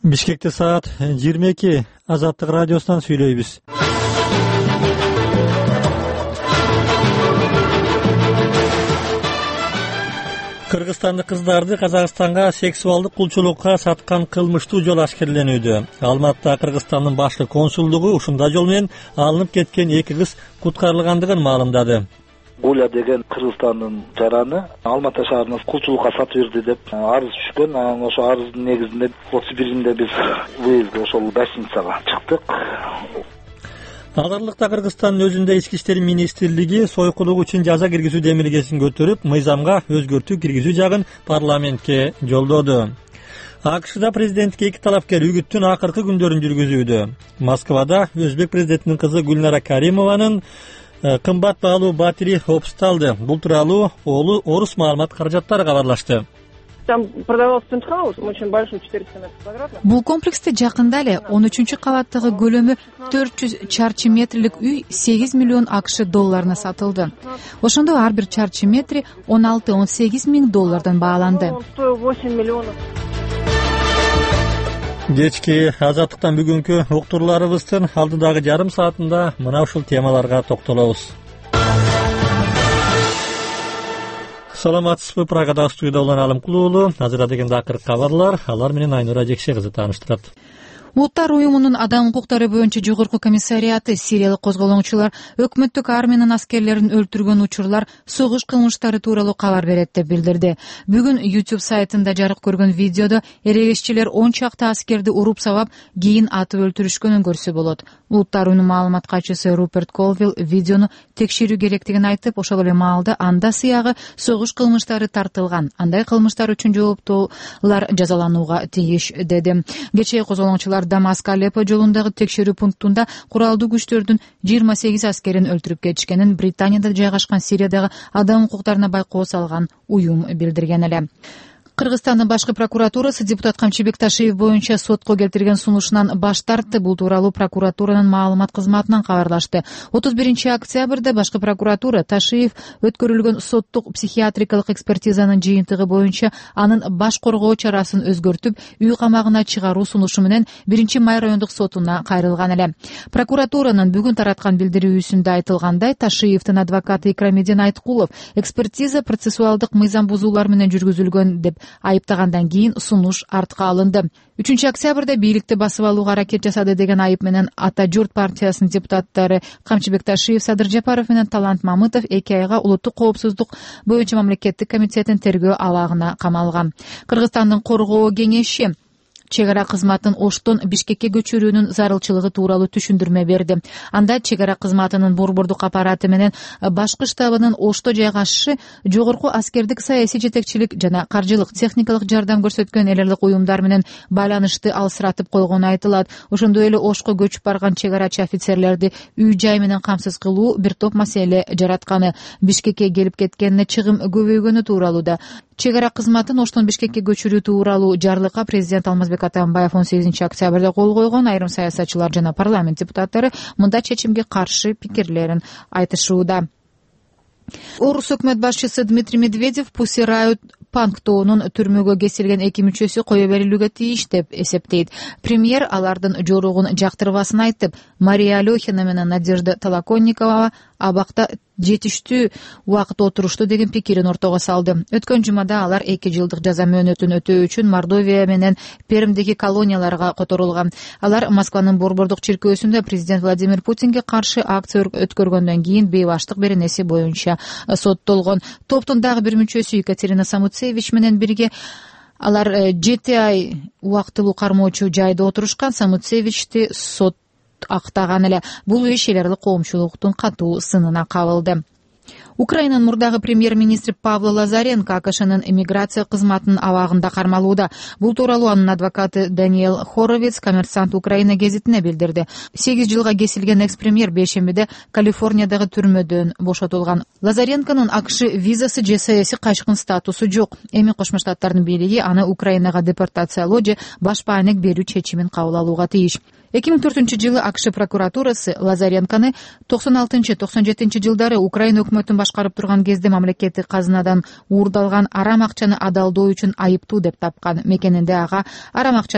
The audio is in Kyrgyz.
Бишкекте саат 22. Азаттык радиосунан сүйлөйбүз. Кыргызстандык кыздарды Казакстанга сексуалдык кулчулукка саткан кылмыштуу жол ашкерленүүдө. Алматыда Кыргызстандын башкы консулдугу ушундай жол менен алынып кеткен 2 кыз куткарылгандыгын маалымдады. Гуля деген Кыргызстандын жараны Алматы шаарына кулчулукка сатып берди деп арыз түшкөн. Ошо арыздын негизинде 31-inde биз выездге ошол гостиницага чыктык. Азырлыкта Кыргызстандын өзүндө ички иштер министрлиги сойкулук үчүн жаза киргизүү демилгесин көтөрүп, мыйзамга өзгөртүү киргизүү жагын парламентке жолдоду. АКШда президентке 2 талапкер үгүттүн акыркы күндөрүн жүргүзүүдө. Москвада өзбек президентинин кызы Гүлнара Каримованын кымбат баалуу батири опусталды. Бул тууралуу Орус маалымат каражаттары кабарлашты. Там продавался пентхаус, очень большой, 400 метров квадратных. Бул комплексте жакында эле 13-кабаттагы көлөмү 400 чарчы метрлик үй 8 миллион АКШ долларына сатылды. Ошондо ар бир чарчы метри 16-18 миң доллардан бааланды. Он стоил 8 миллионов. Кечки Азаттыктан бүгүнкү уктурууларыбыздын алдыдагы жарым саатында мына ушул темаларга токтолобуз. Саламатсызбы, Прагада студияда улан Алымкул уулу. Азыр дегенде акыркы кабарлар, алар менен Айнура Жекше кызы тааныштырат. Улуттар уюмунун адам укуктары боюнча жогорку комиссариаты сириялык козголоңчулар өкмөттүк армиянын аскерлерин өлтүргөн учурлар согуш кылмыштары тууралуу кабар берет деп билдирди. Бүгүн YouTube сайтында жарык көргөн видеодо эрегешчилер 10 чакты аскерди уруп сабап, кийин атып өлтүрүшкөнүн көрсө болот. Улуттар уюмунун маалымат катчысы Руперт Колвилл видеону текшерүү керектигин айтып, ошол эле маалда анда сыягы согуш кылмыштары тартылган, андай кылмыштар үчүн жооптуулар жазаланууга тийиш деди. Кечээ козголоңчулар Дамаск Алеппо жолундагы текшерүү пунктунда куралдуу күчтөрдүн 28 аскерин өлтүрүп кетишкенин Британияда жайгашкан Сириядагы адам укуктарына байкоо салган уюм билдирген эле. Кыргызстандын башкы прокуратурасы депутат Камчыбек Ташиев боюнча сотко келтирген сунушунан баш тартты. Бул тууралуу прокуратуранын маалымат кызматынан кабарлашты. 31-октябрда башкы прокуратура Ташиев өткөрүлгөн соттук психиатрикалык экспертизанын жыйынтыгы боюнча анын баш коргоо чарасын өзгөртүп, үй камагына чыгаруу сунушу менен 1-Май райондук сотуна кайрылган эле. Прокуратуранын бүгүн тараткан билдирүүсүндө айтылгандай, Ташиевдин адвокаты Икрамидин Айткулов экспертиза процессуалдык мыйзам бузуулар менен жүргүзүлгөн деп айыптагандан кийин сунуш артка алынды. 3-октябрда бийликти басып алууга аракет жасады деген айып менен Ата журт партиясынын депутаттары Камчыбек Ташиев, Садыр Жапаров менен Талант Мамытов 2 айга улуттук коопсуздук боюнча мамлекеттик комитеттин тергөө абагына камалган. Кыргызстандын коргоо кеңеши чек ара кызматын Оштон Бишкекке көчүрүүнүн зарылчылыгы тууралуу түшүндүрмө берди. Анда чек ара кызматынын борбордук аппараты менен башкы штабынын Ошто жайгашышы жогорку аскердик саясий жетекчилик жана каржылык техникалык жардам көрсөткөн эл аралык уюмдар менен байланышты алысыратып койгону айтылат. Ошондой эле Ошко көчүп барган чек арачы офицерлерди үй жай менен камсыз кылуу бир топ маселе жаратканы, Бишкекке келип кеткенине чыгым көбөйгөнү тууралуу да. Чек ара кызматын Оштон Бишкекке көчүрүү тууралуу жарлыкка президент Алмазбек Атамбаев 18-октябрда кол койгон. Айрым саясатчылар жана парламент депутаттары мындай чечимге каршы пикирлерин айтышууда. Орус өкмөт башчысы Дмитрий Медведев Pussy Riot Панктоонун түрмөгө кесилген 2 мүчөсү кое берилүүгө тийиш деп эсептейт. Премьер алардын жоругун жактырбасын айтып, Мария Алехина менен Надежда Толоконникова абакта жетиштүү убакыт отурушту деген пикирин ортого салды. Өткөн жумада алар 2 жылдык жаза мөөнөтүн өтөө үчүн Мордовия менен Пермдеги колонияларга которулган. Алар Москванын борбордук чиркөөсүндө президент Владимир Путинге каршы акция өткөргөндөн кийин бейбаштык беренеси боюнча соттолгон. Топтун дагы бир мүчөсү Екатерина Самуцевич менен бирге алар 7 ай убактылуу кармоочу жайда отурушкан. Самуцевичти сот актаган эле. Бул иш эл аралык коомчулуктун катуу сынына кабылды. Украинанын мурдагы премьер-министри Павло Лазаренко АКШнын иммиграция кызматынын абагында кармалууда. Бул тууралуу анын адвокаты Даниэл Хоровиц Коммерсант Украина гезитине билдирди. 8 жылга кесилген экс-премьер бейшембиде Калифорниядагы түрмөдөн бошотулган. Лазаренконун АКШ визасы же саясий качкын статусу жок. Эми Кошмо Штаттардын бийлиги аны Украинага депортациялоо же баш баанек берүү чечимин кабыл алууга тийиш. 2004-жылы АКШ прокуратурасы Лазаренконы 96-97 жылдары Украина өкмөтүн башкарып турган кезде мамлекеттик казынадан уурдалган арам акчаны адалдоо үчүн айыптуу деп тапкан. Мекенинде ага арам акча